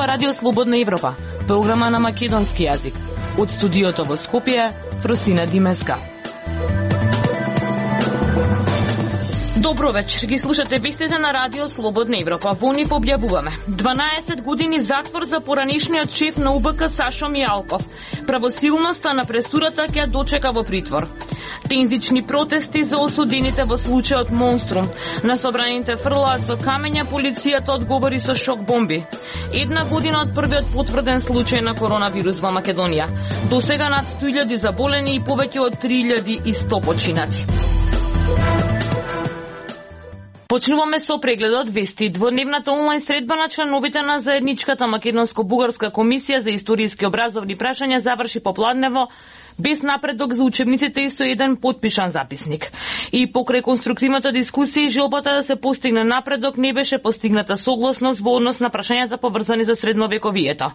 ова Радио Слободна Европа, програма на македонски јазик. Од студиото во Скопје, Фросина Димеска. Добро вечер, ги слушате вестите на Радио Слободна Европа. Во нив објавуваме 12 години затвор за поранешниот шеф на УБК Сашо Мијалков. Правосилноста на пресудата ќе дочека во притвор. Тензични протести за осудените во случајот Монструм. На собраните фрлаат со камења, полицијата одговори со шок бомби. Една година од првиот потврден случај на коронавирус во Македонија. До сега над 100.000 заболени и повеќе од 3.100 починати. Почнуваме со прегледот вести. Дводневната онлайн средба на членовите на заедничката македонско-бугарска комисија за историски образовни прашања заврши попладнево без напредок за учебниците и со еден потпишан записник. И покрај конструктивната дискусија и желбата да се постигне напредок не беше постигната согласност во однос на прашањата поврзани за средновековието.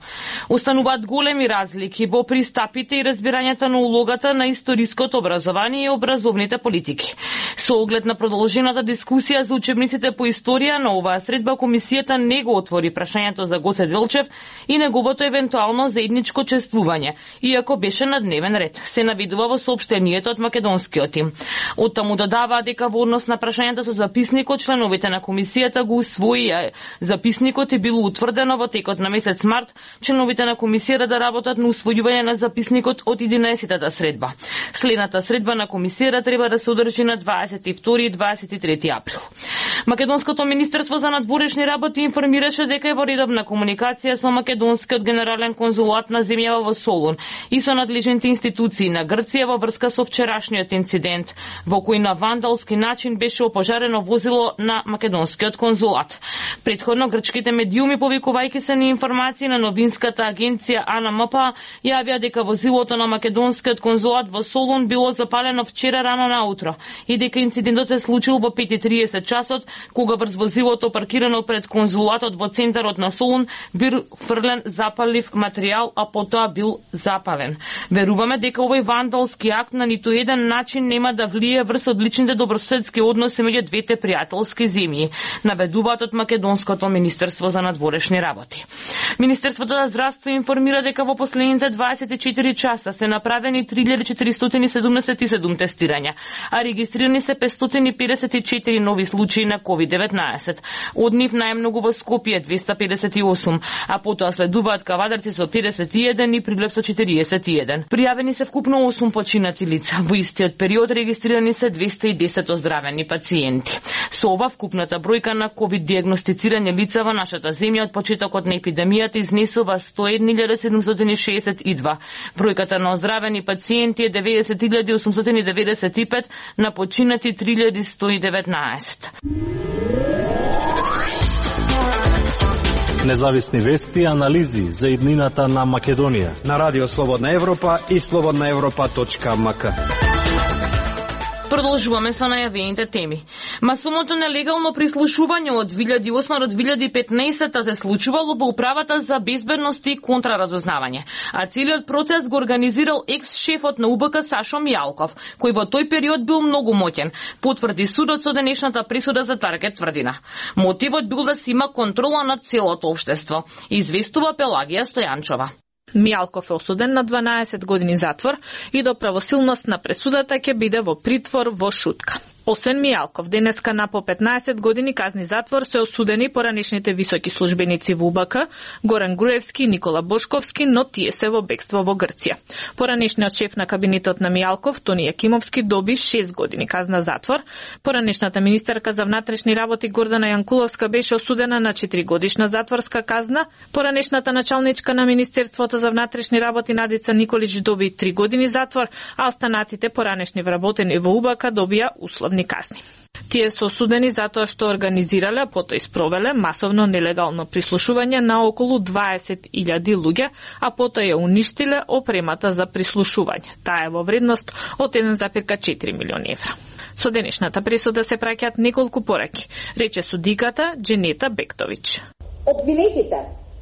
Остануваат големи разлики во пристапите и разбирањето на улогата на историското образование и образовните политики. Со оглед на продолжената дискусија за учебниците по историја на оваа средба, комисијата не го отвори прашањето за Гоце Делчев и неговото евентуално заедничко чествување, иако беше на дневен ред. Се навидува во соопштението од македонскиот тим. Оттаму додаваа дека во однос на прашањата со записникот, членовите на комисијата го усвоија записникот и било утврдено во текот на месец март членовите на комисијата да работат на усвојување на записникот од 11-та средба. Следната средба на комисијата треба да се одржи на 22 и 23 април. Македонското министерство за надворешни работи информираше дека е во редовна комуникација со македонскиот генерален конзулат на земјава во Солун и со надлежните институции на Грција во врска со вчерашниот инцидент, во кој на вандалски начин беше опожарено возило на македонскиот конзулат. Претходно грчките медиуми, повикувајќи се на информации на новинската агенција АНМП, јавија дека возилото на македонскиот конзулат во Солун било запалено вчера рано наутро и дека инцидентот се случил во 5:30 часот, кога врз возилото паркирано пред конзулатот во центарот на Солун бил фрлен запалив материјал, а потоа бил запален. Веруваме дека овој вандалски акт на ниту еден начин нема да влие врз одличните добрососедски односи меѓу двете пријателски земји, наведуваат од Македонското министерство за надворешни работи. Министерството за здравство информира дека во последните 24 часа се направени 3477 тестирања, а регистрирани се 554 нови случаи на COVID-19. Од нив најмногу во Скопје 258, а потоа следуваат Кавадарци со 51 и Прилеп со 41. Пријавени се вкупно 8 починати лица. Во истиот период регистрирани се 210 оздравени пациенти. Со ова вкупната бројка на ковид диагностицирани лица во нашата земја од почетокот на епидемијата изнесува 101.762. Бројката на оздравени пациенти е 90.895, на починати 3.119. Независни вести и анализи за иднината на Македонија на Радио Слободна Европа и slobodnaevropa.mk. Продолжуваме со најавените теми. Масовното нелегално прислушување од 2008 до 2015 се случувало во Управата за безбедност и контраразузнавање, а целиот процес го организирал екс-шефот на УБК Сашо Мијалков, кој во тој период бил многу моќен, потврди судот со денешната присуда за Таргет тврдина. Мотивот бил да се има контрола над целото општество, известува Пелагија Стојанчова. Мијалков е осуден на 12 години затвор и до правосилност на пресудата ќе биде во притвор во Шутка. Освен Мијалков, денеска на по 15 години казни затвор се осудени поранешните високи службеници во УБК, Горан Груевски и Никола Бошковски, но тие се во бегство во Грција. Поранешниот шеф на кабинетот на Мијалков, Тони Јакимовски, доби 6 години казна затвор. Поранешната министерка за внатрешни работи Гордана Јанкуловска беше осудена на 4 годишна затворска казна. Поранешната началничка на Министерството за внатрешни работи Надица Николич доби 3 години затвор, а останатите поранешни вработени во УБК добија условни казни. Тие се осудени затоа што организирале, потоа и спровеле масовно нелегално прислушување на околу 20.000 луѓе, а потоа ја уништиле опремата за прислушување. Таа е во вредност од 1,4 милиони евра. Со денешната присуда се праќаат неколку пораки, рече судиката Дженета Бектович. Обвинетите,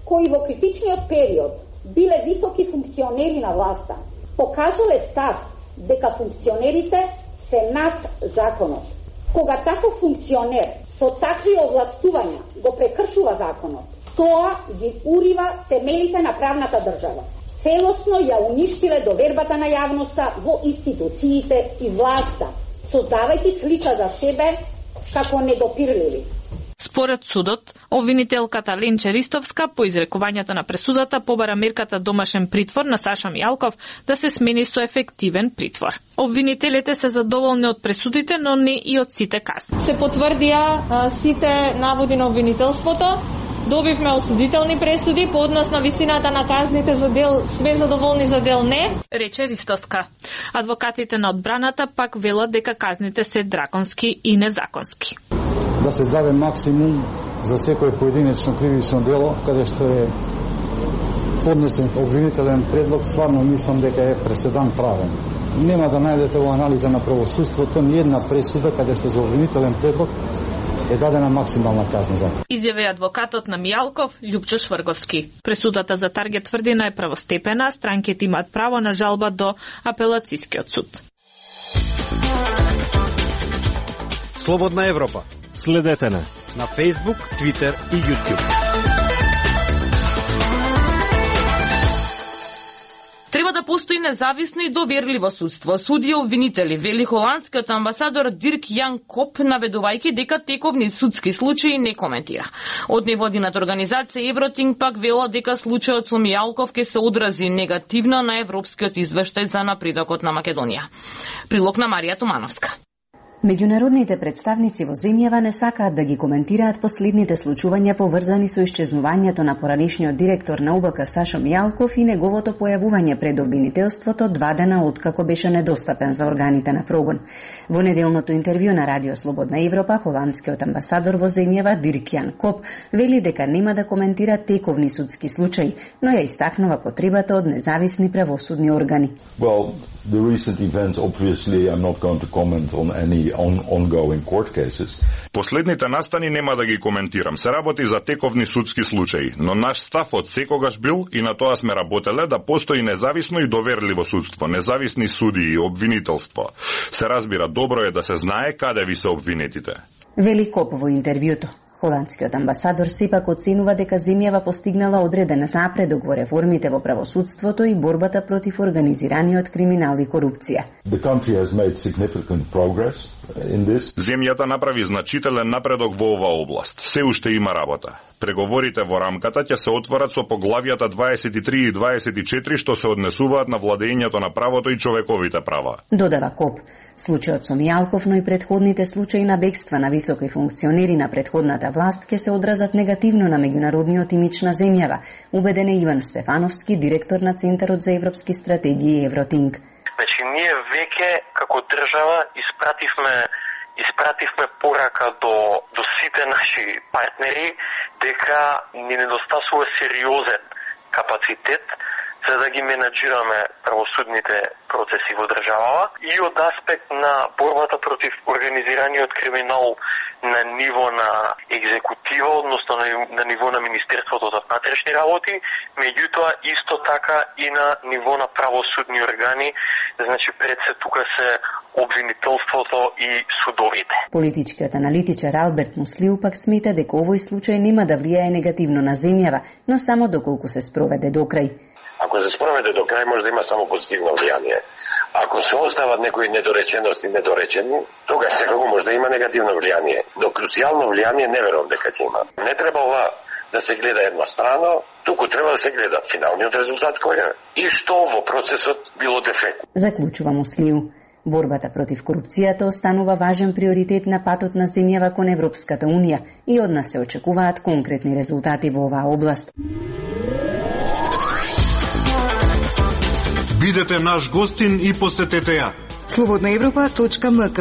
кои во критичниот период биле високи функционери на власта, покажале став дека функционерите се над законот. Кога таков функционер со такви овластувања го прекршува законот, Тоа ги урива темелите на правната држава. Целосно ја уништиле довербата на јавноста во институциите и власта, создавајќи слика за себе како недопирливи. Според судот, обвинителката Ленче Ристовска по изрекувањето на пресудата побара мерката домашен притвор на Саша Мијалков да се смени со ефективен притвор. Обвинителите се задоволни од пресудите, но не и од сите казни. Се потврдија сите наводи на обвинителството. Добивме осудителни пресуди по однос на висината на казните за дел све задоволни, за дел не, рече Ристовска. Адвокатите на одбраната пак велат дека казните се драконски и незаконски. Да се даде максимум за секој поединечно кривично дело, каде што е поднесен обвинителен предлог, стварно мислам дека е преседан правен. Нема да најдете во аналите на правосудството ни една пресуда каде што за обвинителен предлог е дадена максимална казна за тоа. Изјави адвокатот на Мијалков, Љупчо Шврговски. Пресудата за Таргет тврдина е правостепена, странките имаат право на жалба до апелацискиот суд. Слободна Европа. Следете не на Facebook, Twitter и YouTube. Треба да постои независно и доверливо судство. Суди и обвинители, вели холандскиот амбасадор Дирк Јан Коп, наведувајќи дека тековни судски случаи не коментира. Од невладината организација Евротинг пак вела дека случајот со Мијалков ќе се одрази негативно на европскиот извештај за напредокот на Македонија. Прилог на Марија Тумановска. Меѓународните представници во земјава не сакаат да ги коментираат последните случувања поврзани со исчезнувањето на поранишниот директор на УБК Сашо Мијалков и неговото појавување пред обвинителството 2 дена откако беше недостапен за органите на прогон. Во неделното интервју на Радио Слободна Европа, холандскиот амбасадор во земјава Дирк Јан Коп вели дека нема да коментира тековни судски случаи, но ја истакнува потребата од независни правосудни органи. Well, the recent events obviously I'm not going to comment on any ongoing court cases. Последните настани нема да ги коментирам. Се работи за тековни судски случаи, но наш став од секогаш бил и на тоа сме работеле да постои независно и доверливо судство, независни судии и обвинителство. Се разбира, добро е да се знае каде ви се обвинетите. Вели Коп во интервјуто. Холандскиот амбасадор сепак оценува дека земјава постигнала одреден напредок во реформите во правосудството и борбата против организираниот криминал и корупција. The country has made significant progress in this. Земјата направи значителен напредок во оваа област. Се уште има работа. Преговорите во рамката ќе се отворат со поглавјата 23 и 24 што се однесуваат на владењето на правото и човековите права. Додава Коп. Случајот со Мијалков, но и предходните случаи на бегства на високи функционери на предходната власт ќе се одразат негативно на меѓународниот имидж на земјава, убеден е Иван Стефановски, директор на Центарот за европски стратегии Евротинг. Значи, ние веќе како држава испративме порака до сите наши партнери дека ни недостасува сериозен капацитет за да ги менаџираме правосудните процеси во државава и од аспект на борбата против организираниот криминал на ниво на екзекутива, односно на ниво на Министерството за внатрешни работи, меѓутоа исто така и на ниво на правосудни органи, значи пред се тука се обвинителството и судовите. Политичкиот аналитичар Алберт Муслиу пак смета дека овој случај нема да влијае негативно на земјава, но само доколку се спроведе до крај. Ако се спроведе до крај, може да има само позитивно влијание. Ако се остават некои недоречености недоречени, тогаш секако може да има негативно влијание. Но круцијално влијание не верувам дека ќе има. Не треба ова да се гледа еднострано, туку треба да се гледа финалниот резултат кој е и што во процесот било дефект. Заклучува Муслиу. Борбата против корупцијата останува важен приоритет на патот на земјава кон Европската Унија и од нас се очекуваат конкретни резултати во оваа област. Бидете наш гостин и посетете ја. slobodnaevropa.mk.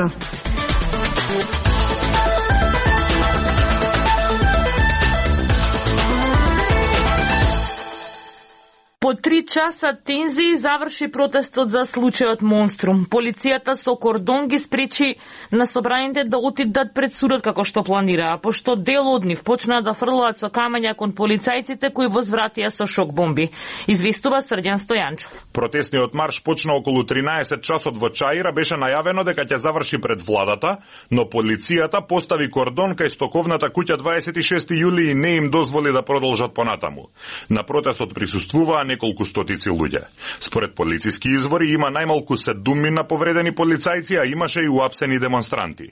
По 3 часа тензии заврши протестот за случајот Монструм. Полицијата со кордон ги спречи на собраните да отидат пред судот како што планираа, пошто дел од нив почнаа да фрлаат со камења кон полицајците кои возвратија со шок бомби. Известува Срđan Стојанчов. Протестниот марш почна околу 13 часот во Чаира, беше најавено дека ќе заврши пред владата, но полицијата постави кордон кај стоковната куќа 26 јули и не им дозволи да продолжат понатаму. На протестот присуствуваа неколку стотици луѓе. Според полициски извори има најмалку 7 повредени полицајци, а имаше и уапсени демонстранти.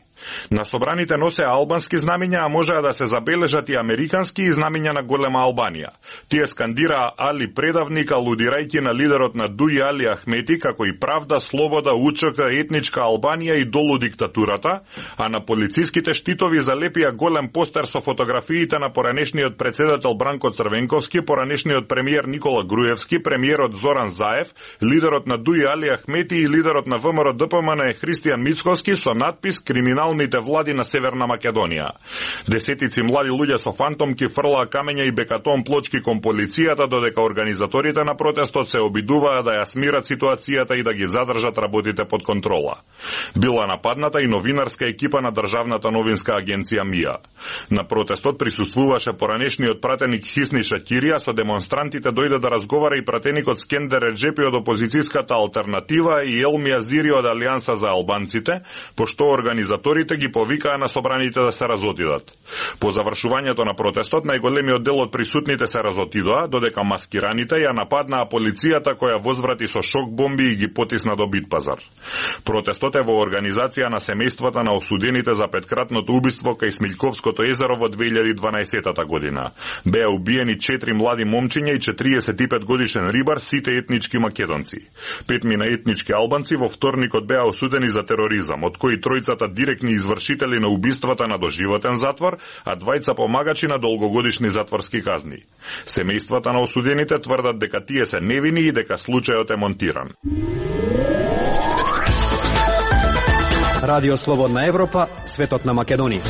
На собраните носе албански знамиња, а можеа да се забележат и американски и знамиња на голема Албанија. Тие скандираа Али предавник, алудирајќи на лидерот на Дуи Али Ахмети како и правда, слобода, УЧК, етничка Албанија и долу диктатурата, а на полициските штитови залепија голем постер со фотографиите на поранешниот председател Бранко Црвенковски, поранешниот премиер Никола Груевски, премиерот Зоран Заев, лидерот на Дуи Али Ахмети и лидерот на ВМРО ДПМН Христијан Мицковски со надпис "Криминалните влади на Северна Македонија". Десетици млади луѓе со фантомки фрлаа камења и бекатон плочки кон полицијата, додека организаторите на протестот се обидуваа да ја смират ситуацијата и да ги задржат работите под контрола. Била нападната и новинарска екипа на државната новинска агенција МИА. На протестот присуствуваше поранешниот пратеник Хисни Шакирија, со демонстрантите дојде да разговара и пратеникот Скендер Реджепи од опозицијската алтернатива и Елми Азири од Алијанса за албанците, пошто организаторите ги повикаа на собраните да се разотидат. По завршувањето на протестот, најголемиот дел од присутните се разотидоа, додека маскираните ја нападнаа полицијата која возврати со шок бомби и ги потисна до Битпазар. Протестот е во организација на семејствата на осудените за петкратното убиство кај Смилковското езеро во 2012 година. Беа убиени 4 млади момчиња и 45 годишен рибар, сите етнички македонци. 5 етнички албанци во вторникот беа осудени за тероризам, од кои тројцата директни извршители на убиствата на доживотен затвор, а 2 помагачи на долгогодишни затворски казни. Семејствата на осудените тврдат дека тие се невини и дека случајот е монтиран. Радио Слободна Европа, светот на Македонија.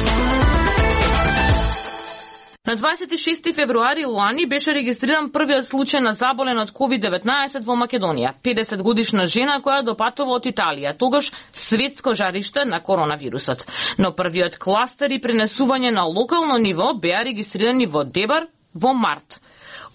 На 26 февруари лани беше регистриран првиот случај на заболен од COVID-19 во Македонија. 50 годишна жена која допатува од Италија, тогаш светско жариште на коронавирусот. Но првиот кластер и пренесување на локално ниво беа регистрирани во Дебар во март.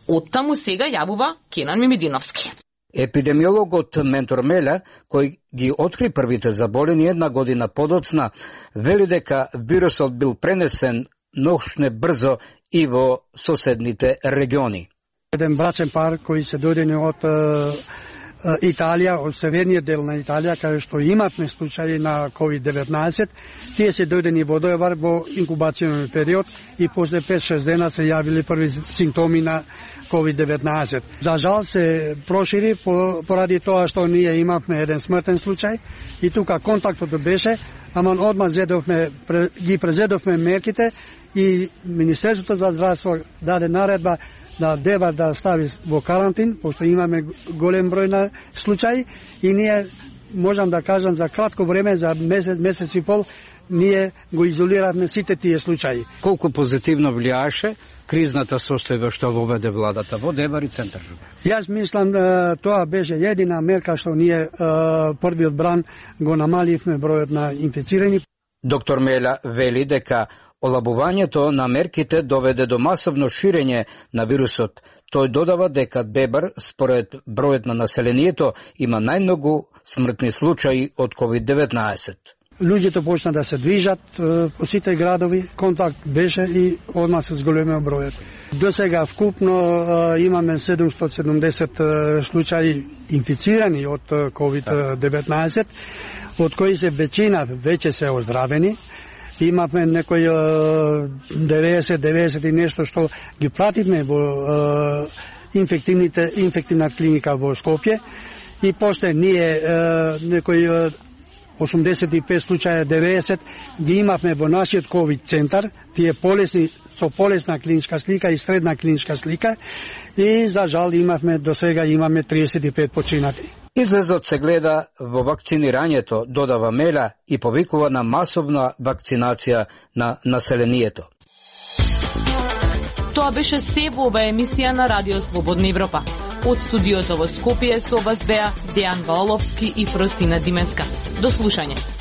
Оттаму сега јавува Кенан Мимидиновски. Епидемиологот Ментор Меля, кој ги откри првите заболени една година подоцна, вели дека вирусот бил пренесен ношне брзо и во соседните региони. Еден брачен пар кои се дојдени од Италија, од северниот дел на Италија, каде што имавме случаи на COVID-19, тие се дојдени во Дебар во инкубацијен период и после 5-6 дена се јавили први симптоми на COVID-19. За жал се прошири поради тоа што ние имавме еден смртен случај и тука контактот беше, ама одма ги презедовме мерките и Министерството за здравство даде наредба да Дебар да стави во карантин, пошто имаме голем број на случаи и ние, можам да кажам, за кратко време, за месец и пол, ние го изолиравме сите тие случаи. Колку позитивно влијаеше кризната состојба што воведе владата во Дебар и центар? Јас мислам тоа беше едина мерка што ние првиот бран го намаливме бројот на инфицирани. Доктор Меля вели дека олабувањето на мерките доведе до масовно ширење на вирусот. Тој додава дека Дебар, според бројот на населението, има најмногу смртни случаи од COVID-19. Луѓето почна да се движат по сите градови, контакт беше и одма се зголемеа бројот. До сега вкупно имаме 770 случаи инфицирани од COVID-19, од кои се веćina веќе се оздравени. Имавме некои 90 и нешто што ги пративме во инфективна клиника во Скопје и после ние некои 85 случаја, 90 ги имавме во нашиот ковид центар, тие полесни со полесна клиничка слика и средна клиничка слика и за жал имавме до сега 35 починати. Излезот се гледа во вакцинирањето, додава Меля, и повикува на масовна вакцинација на населението. Тоа беше се во оваа емисија на Радио Слободна Европа. Од студиото во Скопје со вас беа Дејан Ваоловски и Фростина Димеска. До слушање.